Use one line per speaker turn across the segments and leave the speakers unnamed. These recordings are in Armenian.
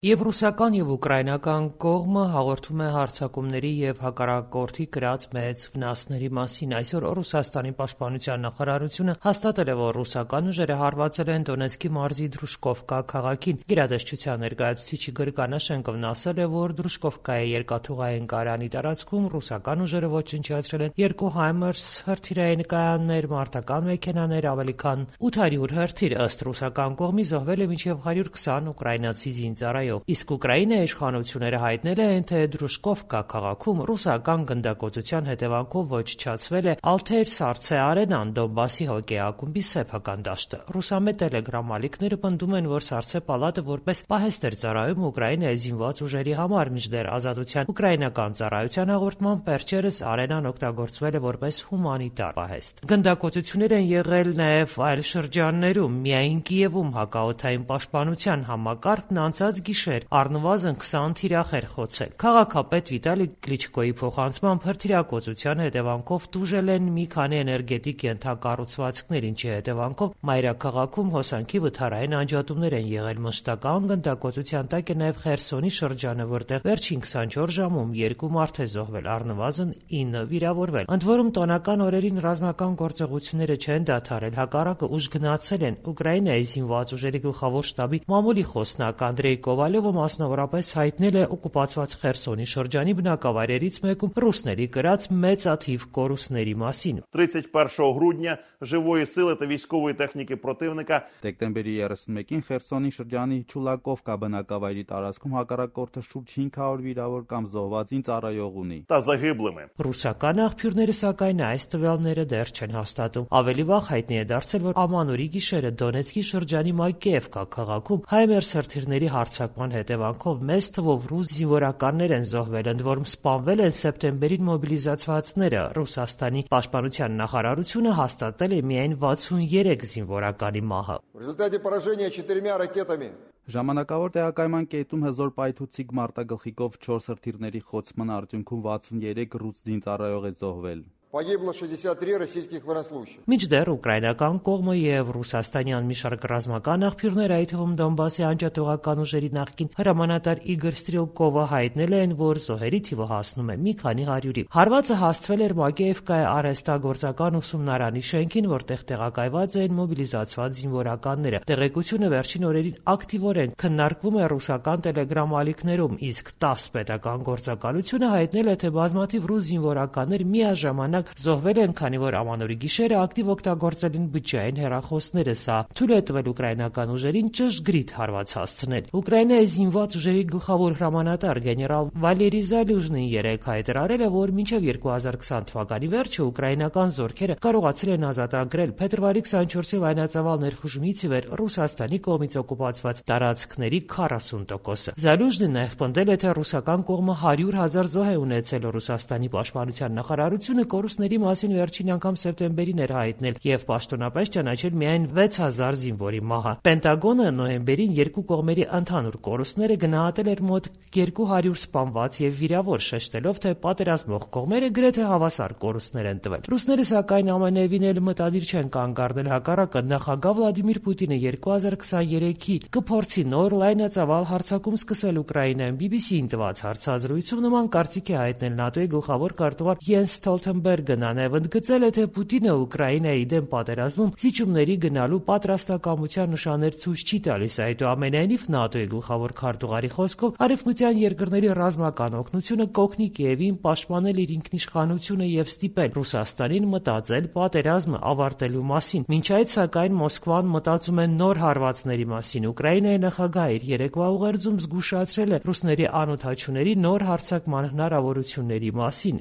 Եվ ռուսական և ուկրաինական կողմը հաղորդում է հարձակումների և հակառակորդի կրած մեծ վնասների մասին։ Այսօր Ռուսաստանի պաշտպանության նախարարությունը հաստատել է, որ ռուսական ուժերը հարվածել են Դոնեցկի մարզի Դրուժկովկա քաղաքին։ Գերատեսչության ներկայացուցիչ Իգոր Կանաշենկովն ասել է, որ Դրուժկովկայի երկաթուղային կայարանի տարածքում ռուսական ուժերը ոչնչացրել են 2 Հայմարս հրթիռային կայաններ, մարտական մեքենաներ, ավելի քան 800 հրթիռ։ Ըստ ռուսական կողմի զոհվել է մինչև 120 ուկրաինացի զինծառայող։ Իսկ Ուկրաինայի իշխանությունները հայտնել են, թե Դրուժկովկա քաղաքում ռուսական գնդակոծության հետևանքով ոչնչացվել է Ալթեր-Սարցե արենան, Դոնբասի հոկեյի ակումբի սեփական դաշտը։ Ռուսամետ տելեգրամ ալիքները պնդում են, որ Սարցե պալատը որպես պահեստ էր ծառայում Ուկրաինայի զինված ուժերի համար, մինչդեռ Ազատության ուկրաինական ծառայության հաղորդմամբ վերջերս արենան օգտագործվել է որպես հումանիտար պահեստ։ Գնդակոծություններ են եղել նաև այլ շրջաններում։ Միայն Կիևում հակաօդային պաշտպանության համակարգն անցած գիշեր առնվազն 20 թիրախ էր խոցել։ Քաղաքապետ Վիտալի Կլիչկոյի փոխանցմամբ հրթիռակոծության հետևանքով տուժել են մի քանի էներգետիկ ենթակառուցվածքներ, ինչի հետևանքով մայրաքաղաքում հոսանքի վթարային անջատումներ են եղել։ Մշտական գնդակոծության տակ է նաև Խերսոնի շրջանը, որտեղ վերջին 24 ժամում 2 մարդ է զոհվել, առնվազն 9 վիրավորվել։ Ընդ որում տոնական օրերին ռազմական գործողությունները չեն դադարել, հակառակը ուժգնացել են։ Ուկրաինայի զինված ուժերի գլխավոր շտաբի մամուլի խոսնակ Անդրեյ Կովալյովը մասնավորապես հայտնել է օկուպացված Խերսոնի շրջանի բնակավայրերից մեկում ռուսների կրած մեծաթիվ կորուստների մասին։
31 грудня живої сили та військової техніки противника
Դեկտեմբերի 31-ին Խերսոնի շրջանի Չուլակովկա բնակավայրի տարածքում հակառակորդը շուրջ 500 վիրավոր կամ զոհված զինծառայող ունի։
та загиблими.
Ռուսական աղբյուրները սակայն այս տվյալները դեռ չեն հաստատում։ Ավելի վաղ հայտնի է դարձել, որ ամանորի գիշերը Դոնեցկի շրջանի Մակեևկա քաղաքում Հայմերս հրթիռների հարձակման հետևանքով մեծ թվով ռուս զինվորականներ են զոհվել, ընդ որում սպանվել են սեպտեմբերին մոբիլիզացվածները։ Ռուսաստանի պաշտպանության նախարարությունը հաստատել է միայն 63 զինվորականի մահը։
В результате поражения 4 ракетами
Ժամանակավոր տեղակայման կետում հզոր պայթուցիկ մարտագլխիկով 4 հրթիռների խոցման արդյունքում 63 ռուս զինծառայող է զոհվել։
погибло 63 российских военнослужащих.
Մինչդեռ ուկրաինական կողմը եւ ռուսաստանյան մի շարք ռազմական աղբյուրներ, այդ թվում Դոնբասի անջատողական ուժերի նախկին հրամանատար Իգոր Ստրելկովը հայտնել են, որ զոհերի թիվը հասնում է մի քանի հարյուրի։ Հարվածը հասցվել էր Մակեևկայի արհեստագործական ուսումնարանի շենքին, որտեղ տեղակայված են մոբիլիզացված զինվորականները։ Տեղեկությունը վերջին օրերին ակտիվորեն քննարկվում է ռուսական տելեգրամ ալիքներում, իսկ ՏԱՍՍ պետական գործակալությունը հայտնել է, թե բազմաթիվ ռուս զինվորականներ միաժամանակ զոհվել են, քանի որ ամանորի գիշերը ակտիվ օգտագործել են բջջային հեռախոսները։ Սա թույլ է տվել ուկրաինական ուժերին ճշգրիտ հարված հասցնել։ Ուկրաինայի զինված ուժերի գլխավոր հրամանատար գեներալ Վալերի Զալյուժնին երեկ հայտարարել է, որ մինչև 2020 թվականի վերջը ուկրաինական զորքերը կարողացել են ազատագրել փետրվարի 24-ի լայնածավալ ներխուժումից ի վեր Ռուսաստանի կողմից օկուպացված տարածքների 40%-ը։ Զալյուժնին նաև պնդել է, թե ռուսական կողմը 100,000 զոհ է ունեցել։ Ռուսաստանի պաշտպանության նախարարությունը կորուստների մասին վերջին անգամ սեպտեմբերին էր հայտնել եւ պաշտոնապես ճանաչել միայն 6000 զինվորի մահը։ Պենտագոնը նոյեմբերին երկու կողմերի ընդհանուր կորուստները գնահատել էր մոտ 200 սպանված եւ վիրավոր, շեշտելով, թե պատերազմող կողմերը գրեթե հավասար կորուստներ են տվել։ Ռուսները սակայն ամենևին էլ մտադիր չեն կանգ առնել, հակառակը նախագահ Վլադիմիր Պուտինը 2023-ի կփորձի նոր լայնածավալ հարձակում սկսել Ուկրաինայում։ BBC-ին տված հարցազրույցում նման կարծիք է հայտնել ՆԱՏՕ-ի գլխավոր քարտուղար Յենս Ստոլթենբերգը, նաև ընդգծել է, թե Պուտինը Ուկրաինայի դեմ պատերազմում զիջումների գնալու պատրաստակամության նշաններ ցույց չի տալիս։ Այդուամենայնիվ ՆԱՏՕ-ի գլխավոր քարտուղարի խոսքով արևմտյան երկրների ռազմական օգնությունը կօգնի Կիևին պաշտպանել իր ինքնիշխանությունը եւ ստիպել Ռուսաստանին մտածել պատերազմը ավարտելու մասին։ Մինչ այդ, սակայն, Մոսկվան մտածում է նոր հարվածների մասին։ Ուկրաինայի նախագահը իր երեկվա ուղերձում զգուշացրել է ռուսների անօդաչուների նոր հարձակման հնարավորությունների մասին։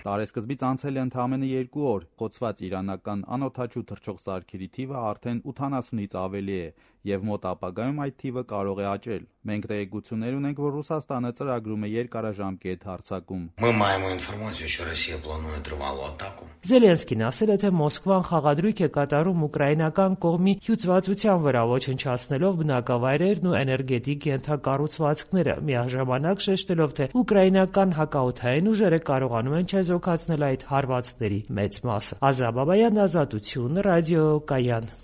Տարեսկզբից անցել է ընդամենը 2 օր։ Խոցված իրանական անօդաչու թռչող սարքերի թիվը արդեն 80-ից ավելի է եւ մոտ ապագայում այդ թիվը կարող է աճել։ Մենք տեղեկություններ ունենք, որ Ռուսաստանը ծրագրում է երկարաժամկետ հարձակում։
Զելենսկին ասել է, թե Մոսկվան խաղադրույք է կատարում ուկրաինական կողմի հյուծվածության վրա, ոչնչացնելով բնակավայրերն ու էներգետիկ ենթակառուցվածքները, միաժամանակ շեշտելով, թե ուկրաինական հակաօդային ուժերը կարողանում են չեզոքացնել այդ հարվածների մեծ մասը։ Ազատ Բաբայան, Ազատություն, ռադիո Կայան։